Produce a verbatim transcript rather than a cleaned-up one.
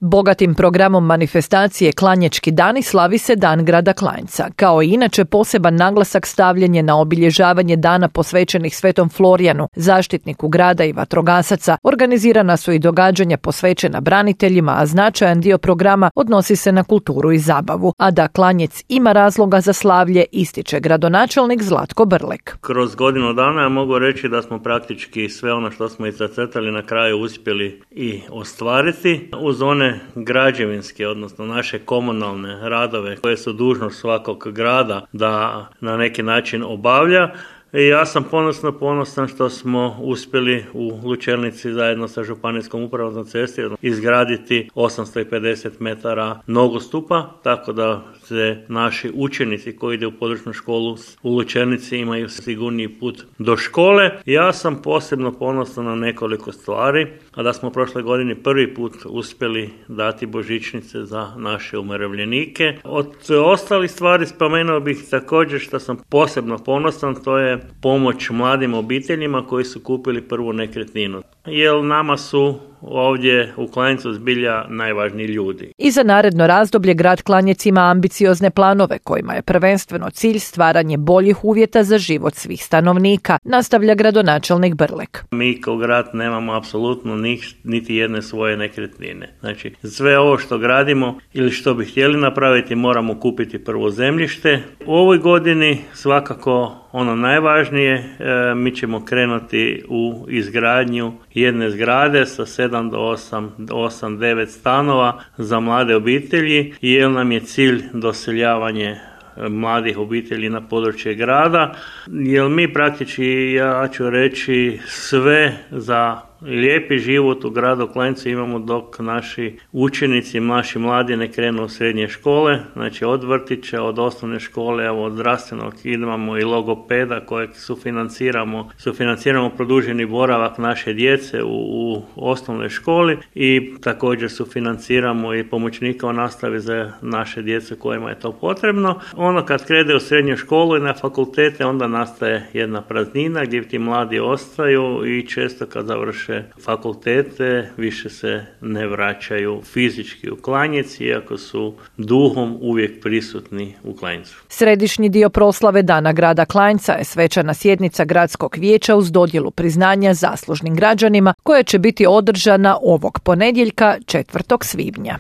Bogatim programom manifestacije Klanječki dani slavi se Dan grada Klanjca. Kao i inače poseban naglasak stavljen je na obilježavanje dana posvećenih Svetom Florijanu, zaštitniku grada i vatrogasaca. Organizirana su i događanja posvećena braniteljima, a značajan dio programa odnosi se na kulturu i zabavu. A da Klanjec ima razloga za slavlje, ističe gradonačelnik Zlatko Brlek. Kroz godinu dana ja mogu reći da smo praktički sve ono što smo i zacrtali na kraju uspjeli i ostvariti. Uz one građevinske, odnosno naše komunalne radove koje su dužnost svakog grada da na neki način obavlja. I ja sam ponosno ponosan što smo uspjeli u Lučelnici zajedno sa Županijskom upravom za ceste izgraditi osamsto pedeset metara nogostupa, tako da se naši učenici koji ide u područnu školu u Lučelnici imaju sigurniji put do škole. Ja sam posebno ponosan na nekoliko stvari, a da smo prošle godine prvi put uspjeli dati božićnice za naše umirovljenike. Od ostalih stvari spomenuo bih također što sam posebno ponosan, to je pomoć mladim obiteljima koji su kupili prvu nekretninu. Jer nama su ovdje u Klanjcu zbilja najvažniji ljudi. I za naredno razdoblje grad Klanjec ima ambiciozne planove kojima je prvenstveno cilj stvaranje boljih uvjeta za život svih stanovnika, nastavlja gradonačelnik Brlek. Mi kao grad nemamo apsolutno niti jedne svoje nekretnine. Znači, sve ovo što gradimo ili što bi htjeli napraviti moramo kupiti prvo zemljište. U ovoj godini svakako ono najvažnije, e, mi ćemo krenuti u izgradnju jedne zgrade sa sedam do osam, devet stanova za mlade obitelji, jer nam je cilj doseljavanje mladih obitelji na područje grada, jer mi praktički, ja ću reći, sve za lijepi život u gradu Klanjcu imamo dok naši učenici, naši mladi ne krenu u srednje škole, znači od vrtića, od osnovne škole, evo od zdravstvenog imamo i logopeda kojeg sufinanciramo, sufinanciramo produženi boravak naše djece u, u osnovnoj školi i također sufinanciramo i pomoćnika u nastavi za naše djece kojima je to potrebno. Ono kad krene u srednju školu i na fakultete onda nastaje jedna praznina gdje ti mladi ostaju i često kad završe fakultete više se ne vraćaju fizički u Klanjec, iako su duhom uvijek prisutni u Klanjcu. Središnji dio proslave Dana grada Klanjca je svečana sjednica gradskog vijeća uz dodjelu priznanja zaslužnim građanima koja će biti održana ovog ponedjeljka četvrtog svibnja.